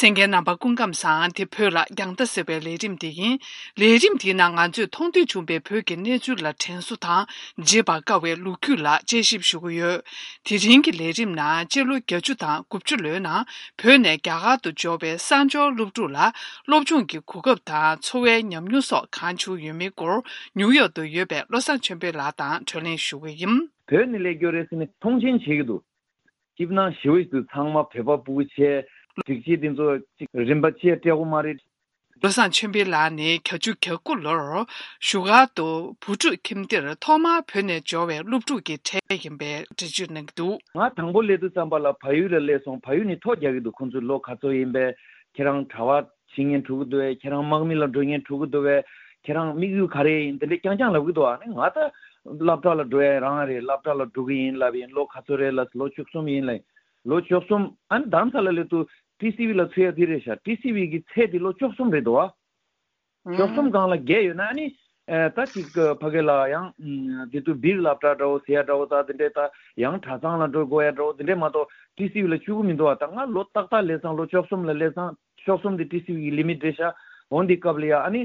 གསན་མཁན་རྣམ་པ་སྐུ་ཁམས་བཟང་དེ་བོད་ལ་རྒྱང་ལྟ་ཟེར་བའི་ལས་རིམ་དེ་ཡིན། ལས་རིམ་དེའི་ནང་ང་ཚོས་མཐོང་ཐོས་བྱུང་བའི་བོད་ཀྱི་གནས་ཚུལ་ལ་དྲན་གསོ་དང་བརྗེད་པར་དཀའ་བའི་ལོ་རྒྱུས་ལ་དཔྱད་ཞིབ་ཞུ་གི་ཡོད། དེ་རིང་གི་ལས་རིམ་ནང་སྤྱི་ལོ 80 དང 90 ལོའི་ནང་བོད་ནས་རྒྱ་གར་དུ་འབྱོར་བའི་གསར་འབྱོར་སློབ་ཕྲུག་ལ་སློབ་སྦྱོང་གི་གོ་སྐབས་དང་འཚོ་བའི་ཉམས་མྱོང་སོགས་གང་བྱུང་ཡོད་མེད་སྐོར་ནིའུ་ཡོག་ཏུ་ཡོད་པའི་བློ་བཟང་ཆོས་འཕེལ་ལགས་དང་གྲོས་གླེང་ཞུ་གི་ཡིན། བོད་ནས་སླེབས་རྒྱུ་རེད་ཟེར་ནས་མཐོང་ཆེན་བྱེད་ཀྱི་འདུག། སྐྱིད་སྣང་ཞེ་པོ་ཞིག་འདུག་ཚང་མ་བོད་པ་སྤུ་གུ་བྱས། སྒྲིག་ཆས་འདི་ཚོ་ཅིག་རིན་པ་ཅིག་སྤྲད་དགོས་མ་རེད། བློ་བཟང་ཆོས་འཕེལ་ལགས་ནི 80 89 ལོར་བཞུགས་སྒར་དུ་བུ་ཕྲུག་ཁྱིམ་སྡེར་ཐོག་མར་བོད་ནས་འབྱོར་བའི་སློབ་ཕྲུག་གི་གྲས་ཡིན་པའི་འགྲེལ་བརྗོད་གནང་གི་འདུག། ང་དང་པོ་སླེབས་དུས་ཙམ་པ་ལ་བལ་ཡུལ་ལ་སླེབས་སོང་བལ་ཡུལ་ནས་ཐོ་རྒྱག་གི་འདུག་ཁོང་ཚོས་ལོ་ག་ཚོད་ཡིན་པས་ཁྱེད་རང་གྲྭ་པ་བྱེད་སྙིང་བྲོ་གི་འདུག་གས་ཁྱེད་རང་དམག་མི་ལ་འགྲོ་སྙིང་བྲོ་གི་འདུག་གས་ཁྱེད་རང་དམིགས་ཡུལ་ག་རེ་ཡིན་དེ་འདྲས་རྐྱང་རྐྱང་ལབ་གི་འདུག་ཨ་ནི་ང་ད་སློབ་གྲྭ་ལ་འགྲོ་ཡ་རང་རེད་སློབ་གྲྭ་ལ་འགྲོ་གི་ཡིན་ལབ་ཡིན་ལོ་ག་ཚོད་རེད་ལབ་ལོ 13 ཡིན་ལབ་ཡིན་ལོ 13 ཨ་ནི་རྡ་རམ་ས་ལ་སླེབས་དུས TCV ལ་ཚུད་ཡ་དེ་རེད་ཤག TCV གི་ཚད་དེ་ལོ 13 རེད་འདུག་ཨ། 13 སྒང་ལ་བརྒལ་ཡོད་ན་ཨ་ནི་ད་ཅིག་ཕ་གི་ལ་ཡང་དེ་དུས་སྦིར་སློབ་གྲྭ་འདྲ་བོ་ཟེར་ཡ་འདྲ་བོ་ད་དེ་འདྲས་ད་ཡང་གྲྭ་ཚང་ལ་འགྲོ་དགོས་ཡ་འདྲ་བོ་དེ་འདྲས་མ་གཏོགས TCV ལ་བཅུག་གི་མི་འདུག་ཨ་ད་ང་ལོ་ཏག་ཏག་སླེབས་ཙང་ལོ 13 ལ་སླེབས་ཙང 13 དེ TCV གི limit རེད་ཤག་འོ་འདི་སྐབས་ལ་ཡ་ཨ་ནི།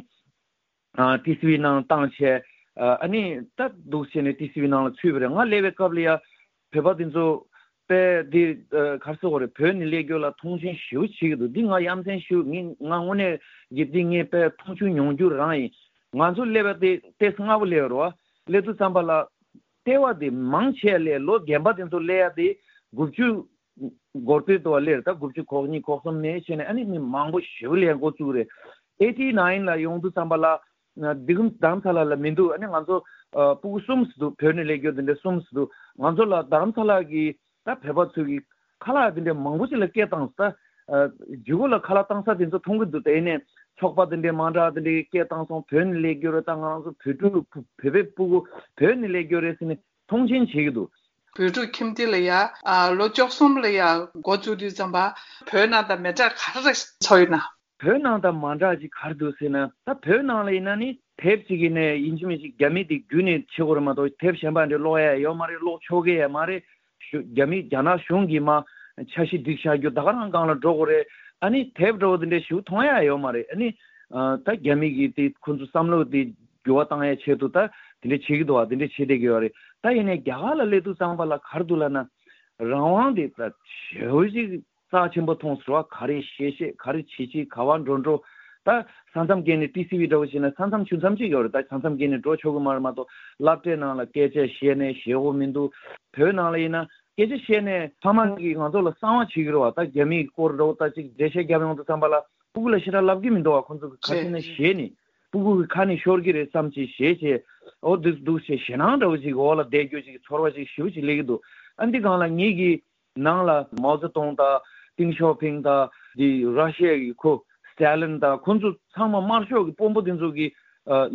TCV ནང་བཏང་བྱས། ཨ་ནི་ད་འདུག་བྱས་ནས TCV ནང་ལ་ཚུད་པ་རེད་ང་སླེབས་པའི་སྐབས་ལ་ཡ། བོད་པ་དེ་ཚོ། དཔེ་འདི་ག་རེ་ཟེར་དགོས་རེད་བོད་ནས་སླེབས་རྒྱུ་ལ་མཐོང་ཆེན་ཞེ་པོ་བྱེད་ཀྱི་འདུག་འདི་ང་ཡ་མཚན་ཞེ་པོ་ངས་ང་དངོས་གནས་ཀྱི་འདི་ངས་དཔེ་མཐོང་ཆུང་མྱོང་རྒྱུ་རང་ཡིན། ང་ཚོ་སླེབས་པ་དེ་ཏོག་ཙམ་སྔ་པོ་སླེབས་རེད་བ། སླེབས་དུས་ཙམ་པ་ལ། ལྟེ་བ་དེ་མང་ཆེ་ལས་ལོ་རྒན་པ་དེ་ཚོ་སླེབས་ཡ་དེ 90། འགོར་སྟོད་དུ་བ་སླེབས་རེད་ད 90 གོ་གཉིས་གོ་གསུམ་ནས་བྱས་ནས་ཨ་ནི་མི་མང་པོ་ཞེ་པོ་སླེབས་འགོ་བཙུགས་རེད། 89 ལ་ཡོང་དུས་ཙམ་པ་ལ། འདི་གམ་རྡ་རམ་ས་ལ་ལ་མི་འདུག་ཨ་ནི་ང་ཚོ་སྤུ་གུ་གསུམ་ཙམ་འདུག་བོད་ནས་སླེབས་རྒྱུ་དེ་འདྲ་གསུམ་ཙམ་འདུག་ང་ཚོ་ལ་རྡ་རམ་ས་ལ་གི་ད་བོད་པ་ཚོས་གི་ཁ་ལག་དེ་འདྲ་མང་པོ་ཞིག་ལ་སྐད་བཏང་ས་ཇི་གོ་ལ་ཁ་ལག་བཏང་ས་དེ་ཚོ་མཐོང་གི་འདུག་དེ་ནས་ཚོགས་པ་དེ་འདྲ་མ་འདྲ་དེ་འདྲ་གི་སྐད་བཏང་སོང་བོད་ནས་སླེབས་རྒྱུ་རེད་ད་ང་རང་ཚོ་བོད་ཕྲུག་བོད་པའི་སྤུ་གུ་བོད་ནས་སླེབས་རྒྱུ་རེད་ཟེར་ནས་མཐོང་ཆེན་བྱེད་ཀྱི་འདུག། བོད་ཕྲུག་ཁྱིམ་སྡེ་ལ་ཡ། ལོ 13 ལ་ཡ་འགོ་བཙུགས་དུས་ཙམ་པ། བོད་ནང་དང་མི་འདྲ་ག་རེ་ཚོར་ཡོད་ན། བོད་ནང་དང་མ་འདྲ་ཅིག་ག་རེ་འདུག་ཟེར་ན་ད་བོད་ནང་ལ་ཡིན་ན་ནི་དེབ་ཅིག་གི་ནས་ཡིན་གཅིག་མིན་གཅིག་རྒྱ་མི་དེ་བརྒྱུད་ནས་བྱེད་དགོས་རེད་མ་གཏོགས་དེབ་གཞན་པ་འདྲ་ཀློག་ཡ་ཡོད་མ་རེད་ཀློག་ཆོག་གི་ཡ་མ་རེད། རྒྱ་མི་རྒྱ་ནག་གཞུང་གིས་མ་འཆར་གཞི་སྒྲིག་བཞག་རྒྱུ་ད་ག་རང་སྒང་ལ་འགྲོ་དགོས་རེད་ཨ་ནི་དེབ་འདྲ་བོ་དེ་འདྲ་ཞིག་མཐོང་ཡ་ཡོད་མ་རེད་ཨ་ནི། ད་རྒྱ་མི་གིས་དེ་ཁོ་ཚོ་བསམ་བློ་དེ་འགྱུར་བ་བཏང་ཡ་ཆེད་དུ་ད་དེ་འདྲ་བྱེད་ཀྱི་འདུག་བ་དེ་འདྲ་བྱེད་བསྡད་ཀྱི་ཡོད་རེད་ད་ཡིན་ནའི་རྒྱ་གར་ལ་སླེབས་དུས་ཙམ་པ་ལ་ག་རེ་འདུག་ལབ་ན། རང་དབང་དེ་ད་ཞེ་པོ་ཅིག་རྩ་ཆེན་པོ་མཐོང་ཟེར་བ་ག་རེ་བཤད་བཤད་ག་རེ་བྱེད་བྱེད་ག་བ་འགྲོ་འགྲོ། ད་ས་མཚམས་བརྒལ་ནས TCV འདྲ་བོ་བྱས་ན་ས་མཚམས་ཆུ་མཚམས་གཅིག་ཡོད་རེད་ད་ས་མཚམས་བརྒལ་ནས་འགྲོ་ཆོག་གི་མ་རེད་མ་གཏོགས་སློབ་གྲྭའི་ནང་ལ་སྐད་ཆ་བཤད་ནས་ཞེ་པོ་མི་འདུག་བོད་ནང་ལ་ཡིན་ན་སྐད་ཆ་བཤད་ནས་ཕ་མ་གིས་ང་ཚོ་ལ་གསང་བ་བྱེད་ཀྱི་རེད་བ་ད་རྒྱ་མིའི་སྐོར་འདྲ་བོ་ད་ཅིག་འགྲེལ་བཤད་རྒྱབ་ཡོང་དུས་ཙམ་པ་ལ་སྤུ་གུ་ལ་ཞེ་དྲག་ལབ་ཀྱི་མི་འདུག་བ་ཁོང་ཚོ་གི་ག་ཚོད་ན་ཞེད་ནས་སྤུ་གུ་གི་ཁ་ནས་ཤོར་གྱི་རེད་བསམ་ཅིག་ཞེད་བྱས་འོ་འདུག་འདུག་ཞེ་ཞེད་སྣང་འདྲ་བོ་ཅིག་འོག་ལ་བསྡད་རྒྱུ་ཅིག་ཚོར་བ་ཅིག་ཞེ་པོ་ཅིག་སླེབས་ཀྱི་འདུག་ཨ་འདི་སྒང་ལ་ངེད་ཀྱིས་ནང་ལ་མའོ་ཙེ་ཏུང་དང་ཏིང་ཞའོ་ཕིང་དང་དེ་ར་ཤི་ཡ་གི་ཁོ་སི་ཏཱ་ལིན་དང་ཁོ་ཚོ་ཚང་མ་དམར་ཤོག་གི་དཔོན་པོ་དེ་ཚོ་གི་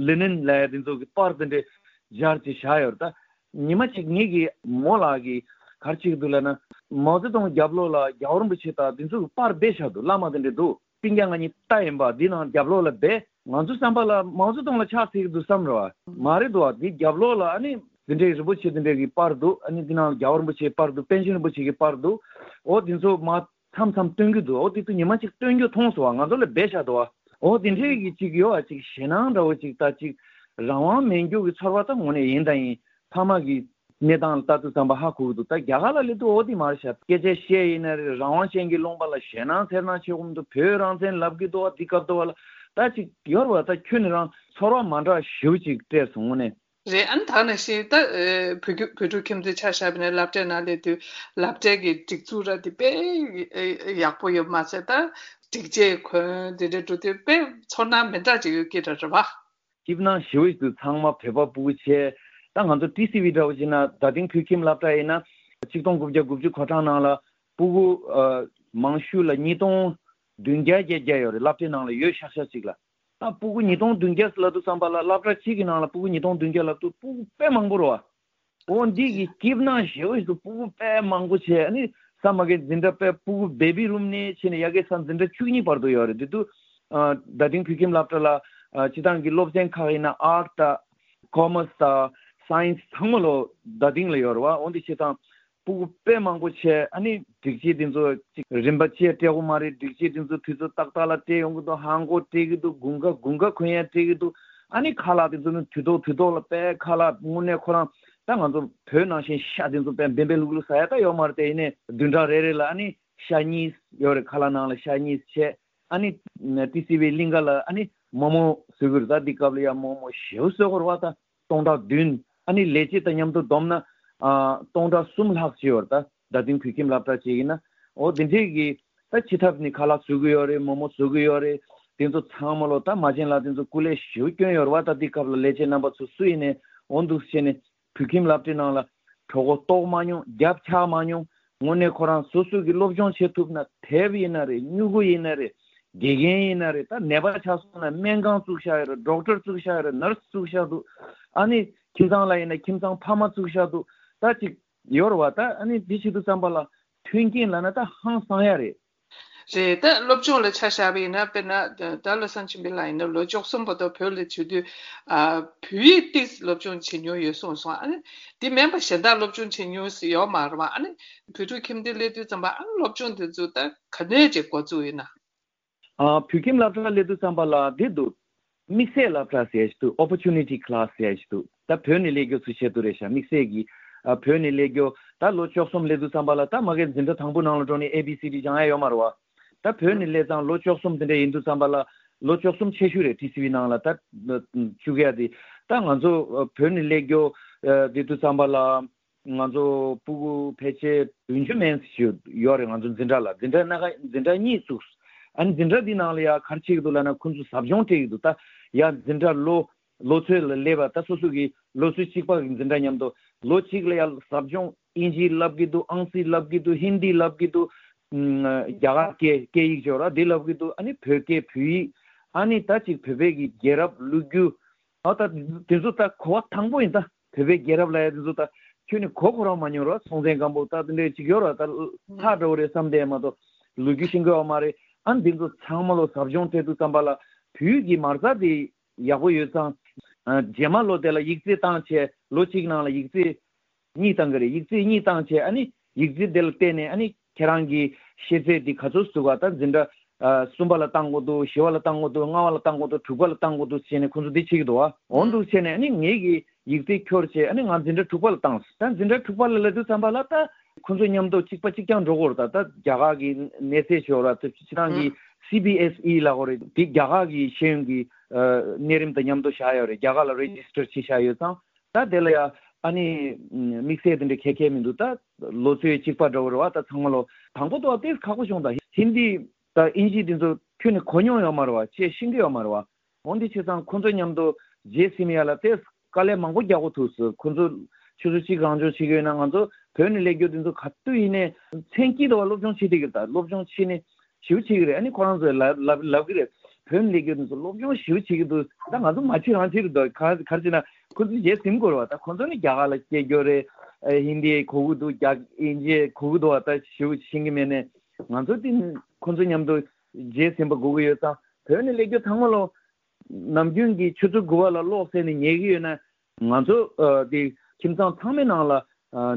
ལི་ནིན་ལ་དེ་ཚོ་གི་པར་དེ་འདྲ་སྦྱར་བྱས་བཞག་ཡོད་རེད་ད། ཉི་མ་གཅིག་ངེད་ཀྱི་རྨོ་ལགས་ཀྱིས་ག་རེ་བྱེད་ཀྱི་འདུག་ལབ་ན། མའོ་ཙེ་ཏུང་རྒྱབ་ལོགས་ལ་རྒྱལ་བ་རིན་པོ་ཆེ་དང་དེ་ཚོ་གི་པར་སྦས་བཞག་འདུག་བླ་མ་དེ་འདྲ་འདུག་སྤུན་ཀྱག་ང་གཉིས་རྟ་ཡིན་པ་འདི་ནང་རྒྱབ་ལོགས་ལ་སྦས། ང་ཚོ་བསམ་པ་ལ་མའོ་ཙེ་ཏུང་ལ་ཕྱག་འཚལ་གྱི་འདུག་བསམ་རེད་བ། མ་རེད་འདུག་བ་འདི་རྒྱབ་ལོགས་ལ་ཨ་ནི། འདི་འདྲའི་རིན་པོ་ཆེ་འདི་འདྲའི་གི་པར་འདུག་ཨ་ནི་འདི་ནང་ལ་རྒྱལ་བ་རིན་པོ་ཆེའི་པར་འདུག་པཎ་ཆེན་རིན་པོ་ཆེ་གི་པར་འདུག་འོ་འདི་ཚོ་མ་མཚམས་མཚམས་སྟོན་གྱི་འདུག་འོ་འདི་ཚོ་ཉི་མ་གཅིག་སྟོན་རྒྱུ་མཐོང་སོང་བ་ང་ཚོ་ལ་སྦས་བཞག་འདུག་བ། འོ་འདི་འདྲའི་གི་ཅིག་ཡོད་བ་ཅིག་ཞེད་སྣང་འདྲ་བོ་ཅིག་ད་ཅིག་རང་དབང་མེད་རྒྱུ་གི་ཚོར་བ་ད་དངོས་གནས་ཡིན་ད་ཡིན་ཕ་མ་གི་གནས་སྟངས་ལ་ལྟ་དུས་ཙམ་པ་ཧ་གོ་གི་འདུག་ད་རྒྱ་གར་ལ་སླེབས་དུས་འོ་དེ་མ་རེད་ཤག་སྐད་ཆ་བཤད་ཡིན་ན་རེད་རང་དབང་ཅན་གྱི་ལུང་པ་ལ་ཞེད་སྣང་འཚེར་སྣང་བྱེད་དགོས་མི་འདུག་བོད་རང་བཙན་ལབ་གི་འདུག་བ་འདི་སྐབས་དུ་བ་ལ་ད་ཅིག་ཡོར་བ་ད་ཁྱོད་ནི་རང་ཚོར་བ་མ་འདྲ་ཞེ་པོ་ཅིག་སྤྲད་སོང་དངོས་གནས། རེད་ཨ་ནི་ད་ག་ནང་བཞིན་ད་བོད་ཀྱི་བོད་ཕྲུག་ཁྱིམ་སྡེ་ཆ་བཞག་པ་ཡིན་ན་སློབ་གྲྭའི་ནང་སླེབས་དུས་སློབ་གྲྭའི་གི་སྒྲིག་འཛུགས་ར་དེ་དཔེ་ཡག་པོ་ཡོད་མ་ཚད་ད་སྒྲིག་ཆས་གོན་དེ་འདྲ་འགྲོ་དུས་དཔེ་ཚོར་སྣང་མི་འདྲ་ཅིག་ཡོད་ཀྱི་རེད་བ། སྐྱིད་སྣང་ཞེ་པོ་ཞིག་འདུག་ཚང་མ་བོད་པ་སྤུ་གུ་བྱས། ད་ང་ཚོ TCV འདྲ་བོ་བྱས་ན་རྡ་སྟེང་བོད་ཁྱིམ་སློབ་གྲྭ་ཡིན་ན། 1990 གོ་གྲངས་ནང་ལ་སྤུ་གུ། མང་ཤོས་ལ 2700 800 ཡོད་རེད་སློབ་གྲྭའི་ནང་ལ་ཡོད་ཤག་ཤག་ཅིག་ལ། ད་སྤུ་གུ 2700 ལབ་དུས་ཙམ་པ་ལ་སློབ་གྲྭ་གཅིག་གི་ནང་ལ་སྤུ་གུ 2700 ལབ་དུས་སྤུ་གུ་དཔེ་མང་པོ་རེད་བ། འོ་འདི་གི་སྐྱིད་སྣང་ཞེ་པོ་ཞིག་འདུག་སྤུ་གུ་དཔེ་མང་པོ་བྱས་ཨ་ནི་ས་མ་གི་འཛིན་གྲྭ་དཔེ་སྤུ་གུ baby room ནས་བྱས་ནས་ཡ་གི་ས་འཛིན་གྲྭ 12 བར་དུ་ཡོད་རེད་དེ་དུས་རྡ་སྟེང་བོད་ཁྱིམ་སློབ་གྲྭ་ལ་སྤྱི་བཏང་གི་སློབ་ཚན་ཁག་ཡིན་ན Art དང Commerce དང Science ཚང་མ་ལོ་རྡ་སྟེང་ལ་ཡོད་རེད་བ་འོ་འདི་བྱས་ཙང། སྤུ་གུ་དཔེ་མང་པོ་བྱས་ཨ་ནི་སྒྲིག་ཆས་དེ་ཚོ་ཅིག་རིན་པ་ཆེ་སྤྲད་དགོས་མ་རེད་སྒྲིག་ཆས་དེ་ཚོ་དུས་ཚོད་ཏག་ཏག་ལ་སྤྲད་ཡོང་གི་འདུག་ལྷམ་གོག་སྤྲད་གི་འདུག་དགུན་ཁ་དགུན་ཁ་གོན་ཡ་སྤྲད་གི་འདུག་ཨ་ནི་ཁ་ལག་དེ་ཚོ་ནི་དུས་ཐོག་དུས་ཐོག་ལ་དཔེ་ཁ་ལག་དངོས་གནས་ཁོ་རང་ད་ང་ཚོ་བོད་ནང་བཞིན་ཤ་དེ་ཚོ་དཔེ་འབེལ་འབེལ་ལྷུག་ལྷུག་ཟ་ཡ་ད་ཡོད་མ་རེད་དེ་ཡིན་ནའི་བདུན་ཕྲག་རེ་རེ་ལ་ཨ་ནི་ཤ་གཉིས་ཡོད་རེད་ཁ་ལག་ནང་ལ་ཤ་གཉིས་བྱས་ཨ་ནི་ཏི་སི་བའི་གླིང་ག་ལ་ཨ་ནི་མོག་མོག་བཟོ་གི་རེད་ད་འདི་སྐབས་ལ་ཡ་མོག་མོག་ཞེ་པོ་བཟོ་གི་རེད་བ་ད 1700 ཨ་ནི་ལས་བྱེད་དང་མཉམ་དུ་བསྡོམས་ན། 3003 ལྷག་ཅིག་ཡོད་རེད་ད། རྡ་སྟེང་བོད་ཁྱིམ་སློབ་གྲྭ་བྱས་ཡིན་ན། འོ་དེ་འདྲས་ཀྱི། ད་སྤྱི་ཐབ་ནས་ཁ་ལག་བཟོ་གི་ཡོད་རེད་མོག་མོག་བཟོ་གི་ཡོད་རེད། དེ་ཚོ་ཚང་མ་ལོ་ད་མ་བྱན་ལགས་དེ་ཚོ་སྐུ་ལས་ཞེ་པོ་སྐྱོན་ཡོད་རེད་བ་ད་དེ་སྐབས་ལ་ལས་བྱེད་རྣམ་པ་ཚོ་སུ་ཡིན་ནའི་འོ་འདུག་བྱས་ནས། བོད་ཁྱིམ་སློབ་གྲྭའི་ནང་ལ། གྲོད་ཁོག་ལྟོགས་མ་མྱོང་རྒྱབ་འཁྱག་མ་མྱོང། དངོས་གནས་ཁོ་རང་སོ་སོ་གི་སློབ་སྦྱོང་བྱེད་ཐུབ་ན་དེབ་ཡིན་ན་རེད་སྨྱུ་གུ་ཡིན་ན་རེད། དགེ་རྒན་ཡིན་ན་རེད་ད་ནད་པ་ཆགས་སོང་ན་སྨན་ཁང་བཙུགས་བཞག་ཡོད་རེད Doctor བཙུགས་བཞག་ཡོད་རེད Nurse བཙུགས་བཞག་འདུག་ཨ་ནི་ཁྱིམ་ཚང་ལ་ཡིན་ན་ཁྱིམ་ཚང་ཕ་མ་བཙུགས་བཞག་འདུག་ད་ཅིག་ཡོད་རེད་བ་ད་ཨ་ནི་འདི་བྱེད་དུས་ཙམ་པ་ལ་མཐུན་རྐྱེན་ལབ་ན་ད་ཧང་སང་ཡ་རེད། རེད་ད་སློབ་སྦྱོང་ལ་ཆ་བཞག་པ་ཡིན་ན་དཔེར་ན་ད་བློ་བཟང་ཆོས་འཕེལ་ལགས་ཡིན་ན་ལོ 13 བར་དུ་བོད་ལ་བྱོན་དུས་བོད་ཡིག་ཏོག་ཙམ་སློབ་སྦྱོང་བྱེད་མྱོང་ཡོད་གསུངས་སོང་ཨ་ནི་དེ་མིན་པ་གཞན་དག་སློབ་སྦྱོང་བྱེད་མྱོང་ཡོད་མ་རེད་བ་ཨ་ནི་བོད་ཕྲུག་ཁྱིམ་སྡེ་སླེབས་དུས་ཙམ་པ་ཨ་ནི་སློབ་སྦྱོང་དེ་ཚོ་ད་ག་ནས་ཅིག་འགོ་བཙུགས་ཡོད་ན། བོད་ཁྱིམ་སློབ་གྲྭ་སླེབས་དུས་ཙམ་པ་ལ་དེ་འདུག། དམིགས་བསལ་སློབ་གྲྭ་ཟེར་ཞིག་འདུག Opportunity Class ཟེར་ཞིག་འདུག་ད་བོད་ནས་སླེབས་རྒྱུ་ཚོའི་ཆེད་དུ་རེད་ཤག་དམིགས་བསལ་གྱིས། བོད་ནས་སླེབས་རྒྱུ། ད་ལོ 13 སླེབས་དུས་ཙམ་པ་ལ་ད་མ་གིར་འཛིན་གྲྭ་དང་པོ་ནང་ལ་འགྲོ་ནས ABCD སྦྱང་ཡ་ཡོད་མ་རེད་བ། ད་བོད་ནས་སླེབས་ཙང་ལོ 13 དེ་འདྲ་ཡིན་དུས་ཙམ་པ་ལ། ལོ 13 ཆེ་ཤོས་རེད TCV ནང་ལ་ད། བཅུག་ཡ་དེ། ད་ང་ཚོ་བོད་ནས་སླེབས་རྒྱུ། དེ་དུས་ཙམ་པ་ལ། ང་ཚོ་སྤུ་གུ་ཕལ་ཆེར 70 མན་ཞིག་ཡོད་རེད་ང་ཚོ་འཛིན་གྲྭ་ལ་འཛིན་གྲྭ་སྣ་ཁ་འཛིན་གྲྭ་གཉིས་བཙུགས། ཨ་ནི་འཛིན་གྲྭ་འདི་ནང་ལ་ཡ་ག་རེ་བྱེད་ཀྱི་འདུག་ལབ་ན་ཁོ་ཚོ་ཟབ་སྦྱོང་སྤྲད་ཀྱི་འདུག་ད་ཡ་འཛིན་གྲྭ་ལོ་ལོ་ཚོད་ལ་སླེབས་པ་ད་སོ་སོ་གི་ལོ་ཚོད་གཅིག་པ་གི་འཛིན་གྲྭ་མཉམ་དུ་ལོ་གཅིག་ལ་ཡ་ཟབ་སྦྱོང་དབྱིན་ཇི་བསླབ་ཀྱི་འདུག་ཨང་རྩིས་བསླབ་ཀྱི་འདུག་ཧིན་དི་བསླབ་ཀྱི་འདུག་རྒྱ་གར་སྐད་སྐད་ཡིག་ཅོ་ར་འདི་བསླབ་ཀྱི་འདུག་ཨ་ནི་བོད་སྐད་བོད་ཡིག་ཨ་ནི་ད་ཅིག་བོད་པའི་གི་རྒྱལ་རབས་ལོ་རྒྱུས་ཨ་ད་དེ་ཚོ་ད་གོ་བ་དང་པོ་ཡིན་ད། བོད་པའི་རྒྱལ་རབས་ལབ་ཡ་དེ་ཚོ་ད་ཁྱོན་ནས་གོ་ཁོ་རང་མ་མྱོང་ར་སྲོང་བཙན་སྒམ་པོ་ད་དེ་འདྲའི་ཅིག་ཡོད་ར་ད་ལྷ་འདྲ་བོ་རེད་བསམ་བསྡད་མ་གཏོགས་ལོ་རྒྱུས་ཤེས་ཀྱི་ཡོད་མ་རེད་ཨ་འདི་ཚོ་ཚང་མ་ལོ་ཟབ་སྦྱོང་སྤྲད་དུས་ཙམ་པ་ལ་བོད་ཡིག་གི་མ་རྩ་དེ་ཡག་པོ་ཡོད་ཙང། རྗེས་མ་ལོ་དེ་ལ་ཡིག་ཚད་བཏང་བྱས་ལོ་གཅིག་ནང་ལ་ཡིག་ཚད་གཉིས་བཏང་གི་རེད་ཡིག་ཚད་གཉིས་བཏང་བྱས་ཨ་ནི་ཡིག་ཚད་དེ་ལ་བལྟས་ནས་ཨ་ནི་ཁྱེད་རང་གི་ཤེས་ཚད་དེ་ག་ཚོད་ཟུག་ག་ད་འཛིན་གྲྭ་གསུམ་པ་ལ་བཏང་དགོས་འདུག་བཞི་བ་ལ་བཏང་དགོས་འདུག་ལྔ་བ་ལ་བཏང་དགོས་འདུག་དྲུག་པ་ལ་བཏང་དགོས་འདུག་བྱས་ནས་ཁོང་ཚོ་འདི་བྱེད་ཀྱི་འདུག་བ། འོ་འདུག་བྱས་ནས་ཨ་ནི་ངེད་ཀྱི་ཡིག་ཚད་འཁྱོར་བྱས་ཨ་ནི་ང་འཛིན་གྲྭ་དྲུག་པ་ལ་བཏང། ད་འཛིན་གྲྭ་དྲུག་པ་ལ་སླེབས་དུས་ཙམ་པ་ལ་ད་ཁོང་ཚོ་མཉམ་དུ་གཅིག་པ་གཅིག་རྐྱང་འགྲོ་དགོས་རེད་ད་ད་རྒྱ་གར་གྱི་གནས་ཚད་ཤོར་ར་ད་སྤྱིར་བཏང་གི CBSE ལབ་དགོས་རེད་དེ་རྒྱ་གར་གྱི་ཤེས་ཡོན་གྱི་གནས་རིམ་དང་མཉམ་དུ་བཞག་ཡོད་རེད་རྒྱ་གར་ལ Register བྱས་བཞག་ཡོད་ཙང་ད་དེ་ལ་ཡ་ཨ་ནི་དམིགས་བསལ་དེ་འདྲ་ག་གས་མི་འདུག་ད། ལོ་ཚོད་གཅིག་པ་འདྲ་བོ་རེད་བ་ད་ཚང་མ་ལོ། དང་པོ་ཏོག་ཙམ་ཁག་པོ་བྱུང་ད་ཧིན་དི་ད་ཨིན་ཇི་དེ་ཚོ་ཁྱོན་ནས་གོ་མྱོང་ཡོད་མ་རེད་བ་བྱས་ཤེས་ཀྱི་ཡོད་མ་རེད་བ། འོ་འདི་བྱས་ཙང་ཁོ་ཚོ་མཉམ་དུ་རྗེས་ཟིན་ཡ་ལ་ཏོག་ཙམ་དཀའ་ལས་མང་པོ་རྒྱག་དགོས་ཐུག་སོང་ཁོ་ཚོ་ཆུ་ཚོད་གཅིག་རང་སྦྱོང་བྱེད་ཀྱི་ཡོད་ན་ང་ཚོ་བོད་ནས་སླེབས་རྒྱུ་དེ་ཚོ་ག་དུས་ཡིན་ནའི་མཚན་དཀྱིལ་དུ་བ་སློབ་སྦྱོང་བྱེད་བསྡད་ཀྱི་རེད་ད་སློབ་སྦྱོང་བྱེད་ནས་ཞེ་པོ་བྱེད་ཀྱི་རེད་ཨ་ནི་ཁོ་རང་ཚོས་ལབ་ལབ་ལབ་ཀྱི་རེད། བོད་ནས་སླེབས་རྒྱུ་དེ་ཚོ་སློབ་སྦྱོང་ཞེ་པོ་བྱེད་ཀྱི་འདུག་ད་ང་ཚོ་མ་བྱེད་རང་བྱེད་རེད་འདུག་ག་རེ་བྱེད་ན་ཁོ་ཚོས་རྗེས་ཟིན་དགོས་རེད་བ་ད་ཁོ་ཚོ་ནི་རྒྱ་གར་ལ་སྐྱེས་རྒྱུ་རེད། ཧིན་དི་གོ་གི་འདུག་རྒྱ་ཨིན་ཇི་གོ་གི་འདུག་བ་ད་ཞེ་པོ་ཤེས་ཀྱི་མེད་ནས་ང་ཚོ་དེ་ཁོ་ཚོ་མཉམ་དུ་རྗེས་ཟིན་པ་དགོས་ཀྱི་ཡོད་ཙང་བོད་ནས་སླེབས་རྒྱུ་ཚང་མ་ལོ། ནམ་རྒྱུན་གྱི་ཆུ་ཚོད་དགུ་པ་ལ་གློག་བསད་ནས་ཉལ་གྱི་ཡོད་ན། ང་ཚོ་དེ་ཁྱིམ་ཚང་ཚང་མའི་ནང་ལ་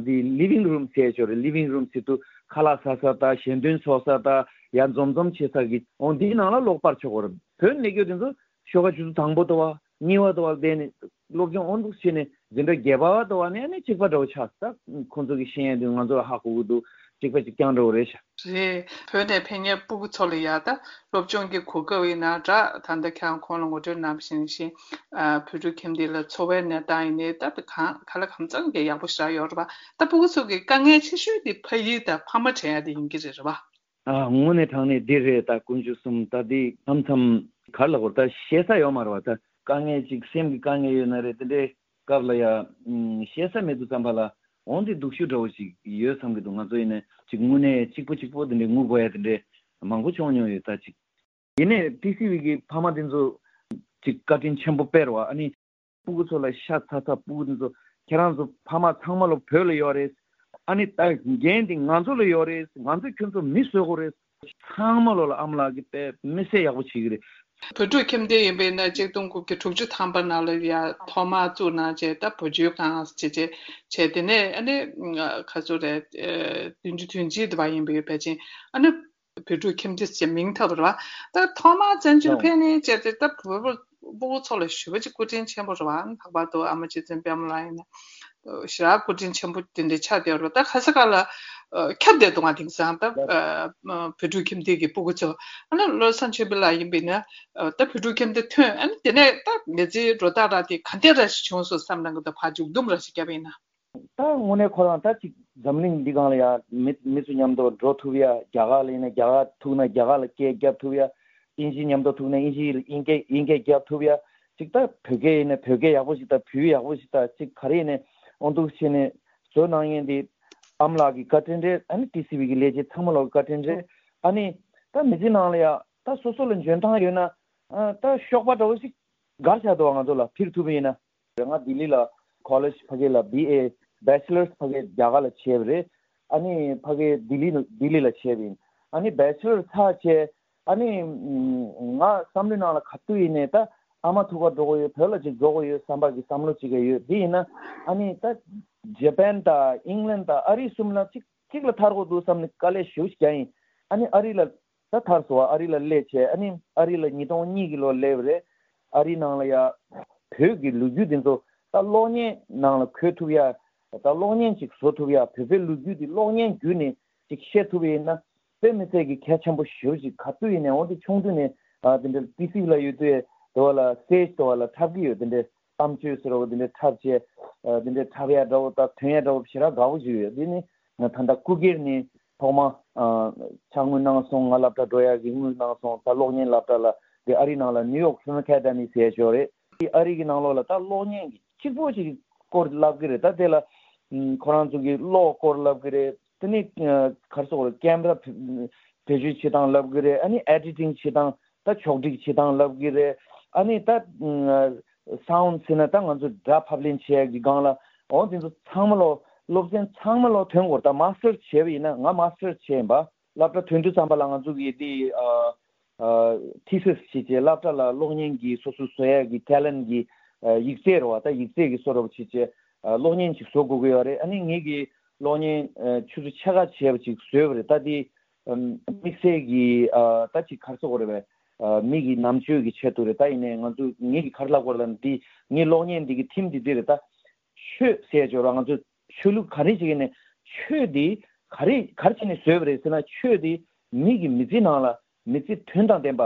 དེ Living Room ཟེར་ཡོད་རེད Living Room ཟེར་དུས་ཁ་ལག་ཟ་ས་དང་ཞལ་འདོན་ཚོགས་ས་དང་ཡར་འཛོམས་འཛོམས་བྱེད་ས་གི་འོང་དེའི་ནང་ལ་གློག་སྤར་ཆོག་གོ་རེད་བོད་ནས་སླེབས་རྒྱུ་དེ་ཚོ་ཞོགས་ཀ་ཆུ་ཚོད་དང་པོ་དུ་བ་གཉིས་པ་དུ་བ་བསྡད་ནས་སློབ་སྦྱོང་འོང་འདུག་བྱས་ནས་འཛིན་གྲྭ་བརྒྱད་པ་བ་དུ་བ་ནས་ནས་གཅིག་པ་འདྲ་བོ་ཆགས་ས་ཁོང་ཚོ་གི་ཤེས་ཡ་དེ་ང་ཚོ་ལ་ཧ་གོ་གི་འདུག་གཅིག་པ་གཅིག་རྐྱང་འདྲ་བོ་རེད་ཤག། རེད། བོད་ནས་ཕེབས་མཁན་སྤུ་གུ་ཚོ་ལ་ཡ་ད་སློབ་སྦྱོང་གི་གོ་སྐབས་ཡིན་ན་འདྲ་ད་ལྟ་ཁྱེད་རང་གོང་ལ་ངོ་སྤྲོད་གནང་བ་བཞིན་བཞིན་བོད་ཕྲུག་ཁྱིམ་སྡེ་ལ་འཚོ་བའི་གནས་སྟངས་ཡིན་ནའི་ད་གང་ག་ལ་གང་འཚམ་གྱི་ཡག་པོ་བཞག་ཡོད་རེད་པ་ད་སྤུ་གུ་ཚོ་གི་དཀའ་ངལ་ཆེ་ཤོས་དེ་ཕ་ཡུལ་དང་ཕ་མ་དྲན་ཡ་དེ་ཡིན་གྱི་རེད་རེད་པ། དངོས་གནས་དྲང་གནས་འདི་རེད་ད་དཀོན་མཆོག་གསུམ་ད་འདི་མཚམས་མཚམས་ག་རེ་ལབ་དགོས་རེད་ད་བཤད་ས་ཡོད་མ་རེད་བ་ད། དཀའ་ངལ་ཅིག་སེམས་ཀྱི་དཀའ་ངལ་ཡོད་ན་རེད་དེ་འདྲའི་སྐབས་ལ་ཡ། བཤད་ས་མེད་དུས་ཙམ་པ་ལ་འོང་དེ་སྡུག་ཤོས་འདྲ་བོ་ཞིག་ཡོད་བསམ་གྱི་འདུག་ང་ཚོ་ཡིན་ན་ཅིག་དངོས་གནས་གཅིག་པོ་གཅིག་པོ་དེ་འདྲའི་ངུ་དགོས་ཡ་དེ་འདྲའི་མང་པོ་བྱུང་མྱོང་ཡོད་ད་ཅིག། ཡིན་ནའི TCV གི་ཕ་མ་དེ་ཚོ་ཅིག་བཀའ་དྲིན་ཆེན་པོ་དཔེ་རེད་བ་ཨ་ནི། སྤུ་གུ་ཚོ་ལ་ཤ་ཚ་ཚ་སྤུ་གུ་དེ་ཚོ་ཁྱེད་རང་ཚོ་ཕ་མ་ཚང་མ་ལོ་བོད་ལ་ཡོད་རེད། ཨ་ནི་ད་འགན་དེ་ང་ཚོ་ལ་ཡོད་རེད་ང་ཚོས་ཁྱོད་ཚོ་མི་བཟོ་དགོས་རེད། ཚང་མ་ལོ་ལ་ཨ་མ་ལགས་ཀྱིས་དཔེ་མི་སྲིད་ཡག་པོ་བྱེད་ཀྱི་རེད། བོད་ཕྲུག་ཁྱིམ་སྡེ་ཡིན་པས་ན 1960 ཐམ་པ་ནང་ལ་ཡ་ཐོག་མར་བཙུགས་གནང་བྱས་ད་བུ་བཅོལ་ཁང་བྱས་བྱས་བྱས་དེ་ནས་ཨ་ནི་ག་ཚོད་རེད 70 དོན་གཅིག་དེ་བ་ཡིན་པ་ཡོད་ཕལ་ཆེར་ཨ་ནི་བོད་ཕྲུག་ཁྱིམ་སྡེ་ཞེས་མིང་ཐོགས་པ་རེད་བ་ད་ཐོག་མར་བཙན་བྱོལ་ཕེབས་ནས་བྱས་ཏེ་ད་བོད་པ་སྤུ་གུ་ཚོ་ལ་ཞེ་པོ་ཅིག་སྐུ་དྲིན་ཆེན་པོ་རེད་བ་ལྷག་པར་དུ་ཨ་མ་རྗེ་བཙུན་པད་མ་ལགས་ཡིན་ན་ཞེ་དྲག་སྐུ་དྲིན་ཆེན་པོ་དེ་འདྲ་ཆགས་བསྡད་རེད་ད་ག་ས་ག་ལ་ཁྱབ་བསྡད་འདུག་ང་དེང་སང་ད་བོད་ཕྲུག་ཁྱིམ་སྡེ་གི་སྤུ་གུ་ཚོ་ཨ་ནི་བློ་བཟང་ཆོས་འཕེལ་ལགས་ཡིན་པས་ན་ད་བོད་ཕྲུག་ཁྱིམ་སྡེ་ཐོན་ཨ་ནི་དེ་ནས་ད་མི་ཚེའི་འགྲོ་སྟངས་ར་དེ་ག་འདྲ་ར་ཞིག་བྱུང་སོང་བསམ་གནང་གི་འདུག་ཕར་མཇུག་སྡོམ་ར་ཞིག་བརྒྱབ་པ་ཡིན་ན། ད་དངོས་གནས་ཁོ་རང་ད་ཅིག་འཛམ་གླིང་འདི་སྒང་ལ་ཡ་མི་མི་ཚོ་མཉམ་དུ་འགྲོ་ཐུབ་ཡ་རྒྱ་གར་ལ་ཡིན་ན་རྒྱ་གར་ཐུག་ན་རྒྱ་གར་ལ་སྐད་རྒྱབ་ཐུབ་ཡ་དབྱིན་ཇི་མཉམ་དུ་ཐུག་ན་དབྱིན་ཇི་དབྱིན་སྐད་དབྱིན་སྐད་རྒྱབ་ཐུབ་ཡ་ཅིག་ད་བོད་སྐད་ཡིན་ན་བོད་སྐད་ཡག་པོ་ཞིག་ད་བོད་ཡིག་ཡག་པོ་ཞིག་ད་ཅིག་ག་རེ་ཡིན་ནའི་འོ་འདུག་བྱས་ནས་བཟོ་གནང་མཁན་འདི་ཨ་མ་ལགས་ཀྱི་བཀའ་དྲིན་རེད་ཨ་ནི་ཏི་སི་བི་གི་ལས་བྱེད་ཚང་མ་ལོག་གི་བཀའ་དྲིན་རེད་ཨ་ནི་ད་མི་ཚེ་ནང་ལ་ཡ་ད་སོ་སོ་ལ་འཇོན་ཐང་ཡོད་ན་ད་གཤོག་པ་འདྲ་བོ་ཞིག་སྒར་བཞག་འདུག་བ་ང་ཚོ་ལ་འཕུར་ཐུབ་པ་ཡིན་ན། རེད་ང་ལྡི་ལི་ལ College ཕ་གི་ལ BA Bachelors ཕ་གི་རྒྱ་གར་ལ་བྱས་པ་རེད། ཨ་ནི་ཕ་གི་ལྡི་ལི་ལྡི་ལི་ལ་བྱས་པ་ཡིན། ཨ་ནི Bachelor ཚར་བྱས་ཨ་ནི་ང་བསམ་བློའི་ནང་ལ་ག་དུས་ཡིན་ནའི་ད་ཨ་མ་ཐུག་ག་འགྲོ་དགོས་ཡོད་བོད་ལ་ཅིག་འགྲོ་དགོས་ཡོད་བསམ་པ་གི་བསམ་བློ་ཅིག་ག་ཡོད་དེ་ཡིན་ན་ཨ་ནི་ད Japan དང England དང་ཨ་རི་གསུམ་ལ་ཅིག་ཅིག་ལ་ཐར་དགོས་འདུག་བསམ་ནས་དཀའ་ལས་ཞེ་པོ་ཞིག་བརྒྱབ་ཡིན། ཨ་ནི་ཨ་རི་ལ་ད་ཐར་སོང་ཨ་རི་ལ་སླེབས་བྱས་ཨ་ནི་ཨ་རི་ལ 2002 གི་ལོར་སླེབས་རེད། ཨ་རི་ནང་ལ་ཡ། བོད་ཀྱི་ལོ་རྒྱུས་དེ་ཚོ་ད་གློག་བརྙན་ནང་ལ་འཁོད་ཐུབ་ཡ། ད་གློག་བརྙན་ཅིག་བཟོ་ཐུབ་ཡ་བོད་པའི་ལོ་རྒྱུས་དེ་གློག་བརྙན་བརྒྱུད་ནས་ཅིག་བཤད་ཐུབ་ཡ་ཡིན་ན། དཔེ་མི་སྲིད་ཀྱི་གལ་ཆེན་པོ་ཞེ་པོ་ཅིག་ག་དུས་ཡིན་ནའི་འོ་དེ་ཆུང་དུས་ནས་དེ་འདྲ་ཏི་སི་ལ་ཡོད་དུས་དེ་བ་ལ stage དེ་བ་ལ་འཁྲབ་ཀྱི་ཡོད་དེ་འདྲའི་གཏམ་བརྗོད་ཟེར་བ་དེ་འདྲའི་འཁྲབ་བྱས། དེ་འདྲའི་འཁྲབ་ཡ་འདྲ་བོ་དང་སྟོན་ཡ་འདྲ་བོ་ཞེ་དྲག་དགའ་བོ་ཞིག་ཡོད་དེ་ནི་ད་ལྟ་སྐུ་སྒེར་ནས་ཐོག་མ། ཕྱག་དངུལ་གནང་སོང་ང་སློབ་གྲྭ་འགྲོ་ཡ་གི་དངུལ་གནང་སོང་ད་གློག་བརྙན་སློབ་གྲྭ་ལ་དེ་ཨ་རི་ནང་ལ New York Film Academy ཟེར་ཡ་ཞིག་ཡོད་རེད་དེ་ཨ་རི་གི་ནང་ལོགས་ལ་ད་གློག་བརྙན་གྱི་གཅིག་པོ་ཞིག་སྐོར་བསླབ་གི་རེད་ད་དེ་ལ་ཁོ་རང་ཚོ་གི་གློག་སྐོར་བསླབ་གི་རེད་དེ་ནི་ག་རེ་ཟེར་དགོས་རེད Camera བེད་སྤྱོད་བྱེད་སྟངས་བསླབ་གི་རེད་ཨ་ནི Editing བྱེད་སྟངས་ད་ཕྱོགས་སྒྲིག་བྱེད་སྟངས་བསླབ་གི་རེད་ཨ་ནི་ད Sound ཟེར་ན་ད་ང་ཚོ་སྒྲ་ཕབ་ལེན་བྱེད་ཡ་གི་སྒང་ལ་འོ་དེ་ཚོ་ཚང་མ་ལོ་སློབ་ཚན་ཚང་མ་ལོ་ཐོན་དགོས་རེད་ད Master བྱས་པ་ཡིན་ན་ང Master བྱས་ཡིན་པ། སློབ་གྲྭ་ཐོན་དུས་ཙམ་པ་ལ་ང་ཚོ་གི་དེ Thesis བྱས་བྱས་སློབ་གྲྭ་ལ་གློག་བརྙན་གྱི་སོ་སོའི་བཟོ་ཡ་གི Talent གི་ཡིག་ཚད་རེད་བ་ད་ཡིག་ཚད་གི་བཟོ་འདྲ་བོ་བྱས་བྱས་གློག་བརྙན་ཞིག་བཟོ་དགོས་ཀྱི་ཡོད་རེད་ཨ་ནི་ངེད་ཀྱི་གློག་བརྙན་ཆུ་ཚོད་ཕྱེད་ཀ་བྱས་པ་ཅིག་བཟོས་པ་རེད་ད་དེ་དམིགས་བསལ་གྱི་ད་ཅིག་ག་རེ་ཟེར་དགོས་རེད་པས། མི་གི་རྣམ་དཔྱོད་ཀྱི་ཆེད་དུ་རེད་ད་ཡིན་ནའི་ང་ཚོ་ངེད་ཀྱི་ག་རེ་ལབ་དགོས་རེད་ལབ་འདི་ངའི་གློག་བརྙན་འདི་གི theme འདི་འདི་རེད་ད། ཆོས་ཟེར་ཡ་བྱས་ར་ང་ཚོ་ཆོས་ལུགས་ག་རེ་བྱེད་ཀྱི་ནས་ཆོས་འདི་ག་རེ་ག་རེ་བྱས་ནས་བཟོས་པ་རེད་ཟེར་ན་ཆོས་འདི་མི་གི་མི་ཚེ་ནང་ལ་མི་ཚེ་དོན་དང་ལྡན་པ་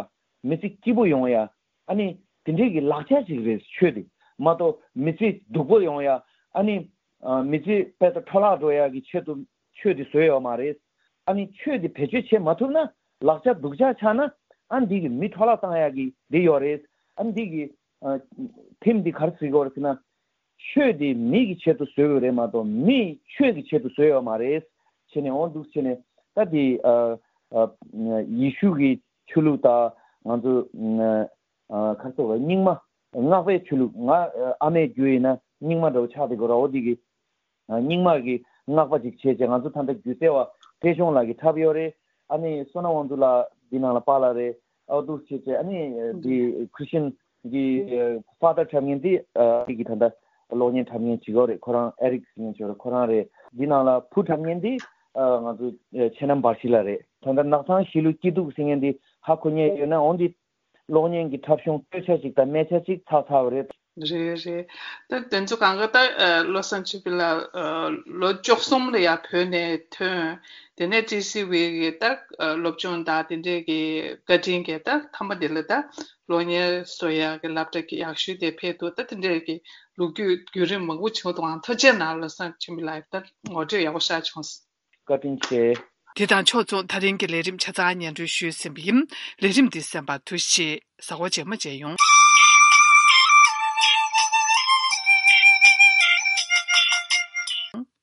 མི་ཚེ་སྐྱིད་པོ་ཡོང་ཡ་ཨ་ནི་དེ་འདྲའི་གི་ལག་ཆ་ཞིག་རེད་ཆོས་འདི་མ་གཏོགས་མི་ཚེ་སྡུག་པོ་ཡོང་ཡ་ཨ་ནི་མི་ཚེ་དཔེ་ད་འཕྲོ་བརླག་འགྲོ་ཡ་གི་ཆེད་དུ་ཆོས་འདི་བཟོས་ཡོད་མ་རེད། ཨ་ནི་ཆོས་འདི་བེད་སྤྱོད་བྱེད་མ་ཐུབ་ན་ལག་ཆ་སྡུག་ཅག་ཆགས་ན་ཨ་འདི་གི་མི་འཕྲོ་བརླག་བཏང་ཡ་གི་འདི་ཡོད་རེད། ཨ་འདི་གི theme འདི་ག་རེ་ཟེར་གི་ཡོད་རེད་ཟེར་ན། ཆོས་འདི་མི་གི་ཆེད་དུ་བཟོས་ཡོད་རེད་མ་གཏོགས་མི་ཆོས་ཀྱི་ཆེད་དུ་བཟོས་ཡོད་མ་རེད། བྱས་ནས་འོ་འདུག་བྱས་ནས་ད་འདི་ཡེ་ཤུ་གི་ཆོས་ལུགས་དང་ང་ཚོ་ག་རེ་ཟེར་བ་རྙིང་མ་སྔགས་པའི་ཆོས་ལུགས་ང་ཨ་མའི་རྒྱུད་ཡིན་ན་རྙིང་མ་འདྲ་བོ་ཆགས་བསྡད་དགོས་ར་འོ་འདི་གི་རྙིང་མ་གི་སྔགས་པ་ཅིག་བྱས་བྱས་ང་ཚོ་ད་ལྟ་སྒྱུ་རྩལ་བ་བཀྲས་ཆུང་ལགས་ཀྱིས་འཁྲབ་ཡོད་རེད། ཨ་ནི་བསོད་ནམས་དབང་འདུས་ལགས་འདི་ནང་ལ་པཱ་ལགས་རེད། ཨོ་འདུག་བྱས་བྱས་ཨ་ནི་འདི Christian གི Father འཁྲབ་མཁན་འདི་ཨ་རི་གི་ད་ལྟ་གློག་བརྙན་འཁྲབ་མཁན་ཅིག་ཡོད་རེད་ཁོ་རང Eric ཟེར་མཁན་ཅིག་ཡོད་རེད་ཁོ་རང་རེད། འདི་ནང་ལ་བུ་འཁྲབ་མཁན་འདི་ང་ཚོ་ཆེ་རྣམ་འབར་ཞི་ལགས་རེད། ད་ལྟ་ནགས་ཚང་ཞི་ལུ་སྐྱིད་སྡུག་ཟེར་མཁན་འདི་ཧ་གོ་མཁན་ཡོད་ན་འོ་འདི་གློག་བརྙན་གྱི་འཁྲབ་གཞུང་སྟོད་ཆ་ཅིག་དང་སྨད་ཆ་ཅིག་ཚར་ཚར་བ་རེད། རེད་རེད། ད་དེ་ཚོ་གང་ག་ད་བློ་བཟང་ཆོས་འཕེལ་ལགས་ལོ 13 ལ་ཡང་བོད་ནས་ཐོན། དེ་ནས་ཀྲི་སི་ཝི་གི་ད་སློབ་སྦྱོང་དང་དེ་འདྲས་ཀྱི་བཀའ་དྲིན་གྱིས་ད་མཐའ་མ་དེ་ལ་ད་གློག་བརྙན་བཟོ་ཡག་གི་སློབ་གྲྭ་ཡག་ཤོས་དེ་ཕེབས་འདུག་ད་དེ་འདྲས་ཀྱི་ལོ་རྒྱུས་བརྒྱུད་རིམ་མང་པོ་བྱུང་འདུག་ཨང་ཐུགས་རྗེ་གནང་བློ་བཟང་ཆོས་འཕེལ་ལགས་ད་ངོ་སྤྲོད་ཡག་པོ་ཞིག་བྱུང། བཀའ་དྲིན་ཆེ། དེ་དང་ཕྱོགས་མཚུངས་ད་རིང་གི་ལས་རིམ་ཆ་ཚང་སྙན་སྒྲོན་ཞུས་ཟིན་པ་ཡིན། ལས་རིམ་འདི་གསན་པར་ཐུགས་རྗེ་ཆེ། གཟའ་འཁོར་རྗེས་མ་མཇལ་ཡོང།